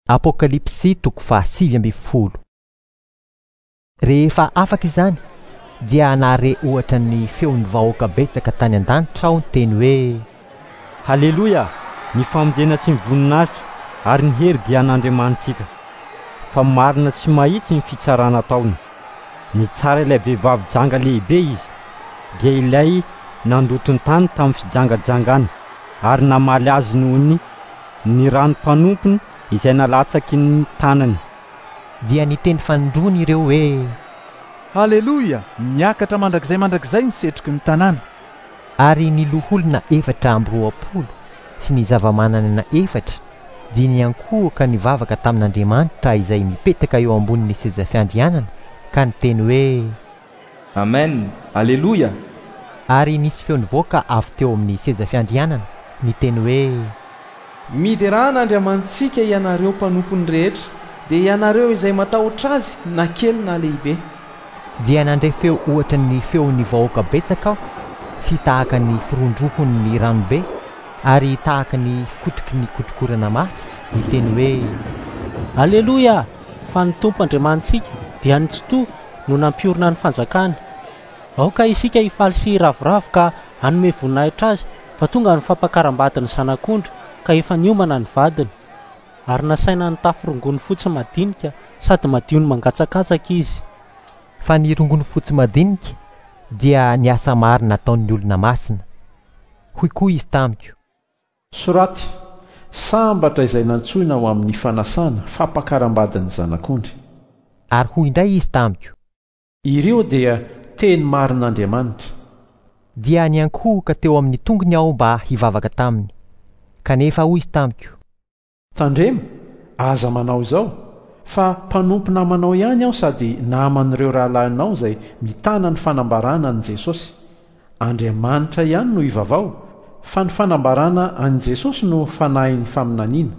Apokalypsy toko faha-19. Rehefa afaka izany, dia nahare ohatra ny feon'ny vahoaka betsaka tany an-danitra aho niteny hoe: Haleloia! Ny famonjena sy ny voninahitra ary ny hery dia an'Andriamanitsika, fa marina sy mahitsy ny fitsarana ataony. Nitsara ilay vehivavy janga lehibe izy, dia ilay nandoto ny tany tamin'ny fijangajangany, ary namaly azy noho ny ny ran'ny mpanompony izay nalatsaky ny tanany. Dia niteny fanindroany ireo hoe. Haleloia! Miakatra mandrakizay mandrakizay ny setroky ny tanàna. Ary ny loholona 24 sy ny zava-manan'aina efatra dia niankohoka nivavaka tamin'Andriamanitra izay mipetraka eo ambonin'ny seza fiandrianana ka niteny hoe. Amen! Aleloia! Ary nisy feo nivoaka avy teo amin'ny seza fiandrianana, niteny hoe. Miderà an'Andriamanitsika ianareo mpanompony rehetra, dia ianareo izay matahotra Azy na kely na lehibe. Dia nandre feo ohatra ny feon'ny vahoaka betsaka aho, sy tahaka ny firohondrohon'ny ranobe, ary tahaka ny fikotroky ny kotrokorana mafy, niteny hoe. Aleloia! Fa ny Tompo Andriamanitsika, dia ny Tsitoha, no nampiorina ny fanjakany. Aoka isika hifaly sy hiravoravo ka hanome voninahitra Azy, fa tonga ny fampakaram-badin'ny Zanak'ondry, ka efa niomana ny vadiny. Ary nasaina nitafy rongony fotsy madinika sady madio no mangatsakatsaka izy. Fa ny rongony fotsy madinika dia ny asa marina ataon'ny olona masina. Hoy koa izy tamiko. Soraty, Sambatra izay nantsoina ho amin'ny fanasana, fampakaram-badin'ny Zanak'ondry. Ary hoy indray izy tamiko. Ireo dia teny marin'Andriamanitra. Dia niankohoka teo amin'ny tongony aho mba hivavaka taminy. Kanefa hoy izy tamiko. Tandremo, aza manao izao, fa mpanompo namanao ihany aho sady naman'ireo rahalahinao izay mitana ny fanambarana an'i Jesosy. Andriamanitra ihany no ivavaho, fa ny fanambarana an'i Jesosy no fanahin'ny faminaniana.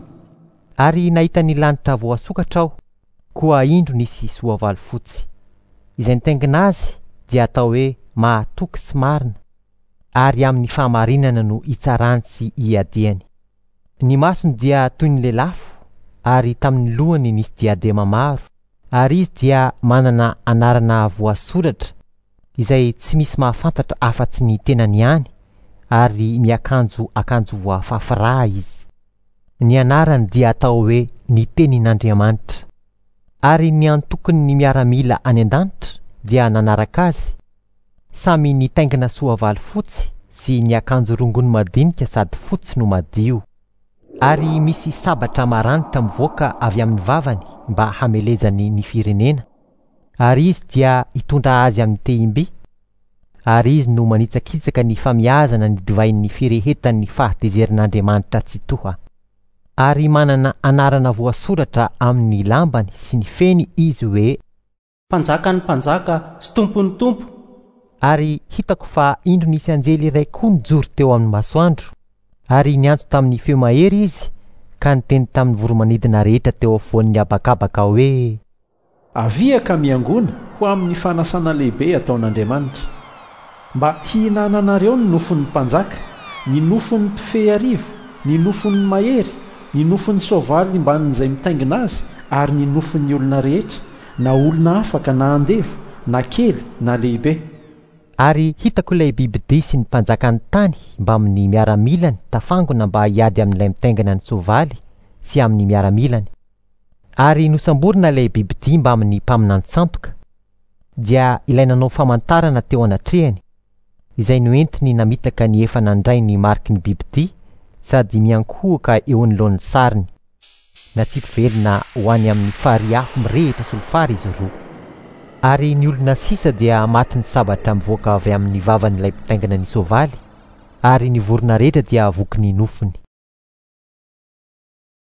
Ary nahita ny lanitra voasokatra aho, koa indro nisy soavaly fotsy. Izay nitaingina azy dia atao hoe mahatoky sy marina, ary amin'ny fahamarinana no itsarany sy iadiany. Ny masony dia toy ny lelafo, ary tamin'ny lohany nisy diadema maro, ary izy dia manana anarana voasoratra izay tsy misy mahafantatra afa-tsy ny tenany ihany, ary miakanjo akanjo voafafy rà izy. Ny anarany dia atao hoe ny Tenin'Andriamanitra. Ary ny antokon'ny miaramila any an-danitra dia nanaraka azy, samy nitaingina soavaly fotsy sy niakanjo rongony madinika sady fotsy no madio. Ary misy sabatra maranitra mivoaka avy amin'ny vavany mba hamelezany ny firenena, ary izy dia hitondra azy amin'ny tehim-by, ary izy no manitsakitsaka ny famiazana ny divain'ny firehetan'ny fahatezeran'Andriamanitra Tsitoha. Ary manana anarana voasoratra amin'ny lambany sy ny feny izy hoe. Mpanjakan'ny mpanjaka sy Tompon'ny tompo. Ary hitako fa indro nisy anjely iray koa nijoro teo amin'ny masoandro, ary niantso tamin'ny feo mahery izy ka niteny tamin'ny voromanidina rehetra teo afovoan'ny habakabaka hoe. Avia ka miangona ho amin'ny fanasana lehibe ataon'Andriamanitra, mba hihinananareo ny nofon'ny mpanjaka, ny nofon'ny mpifehy arivo, ny nofon'ny mahery, ny nofon'ny soavaly mbanin'izay mitaingina azy, ary ny nofon'ny olona rehetra, na olona afaka na andevo, na kely na lehibe. Ary hitako ilay bibidia sy ny mpanjakan'ny tany mbamin'ny miaramilany tafangona mba hiady amin'ilay mitaingina ny soavaly sy amin'ny miaramilany. Ary nosamborina ilay bibidia mbamin'ny mpaminany sandoka, dia ilay nanao famantarana teo anatrehany, izay noentiny namitaka ny efa nandray ny mariky ny bibidia sady miankohoka eo anoloan'ny sariny. Natsipy velona ho any amin'ny farihy afo mirehitra solifara izy roa. Ary ny olona sisa dia matin'ny sabatra mivoaka avy amin'ny vavan'ilay mpitaingina ny soavaly, ary ny vorona rehetra dia voky ny nofony.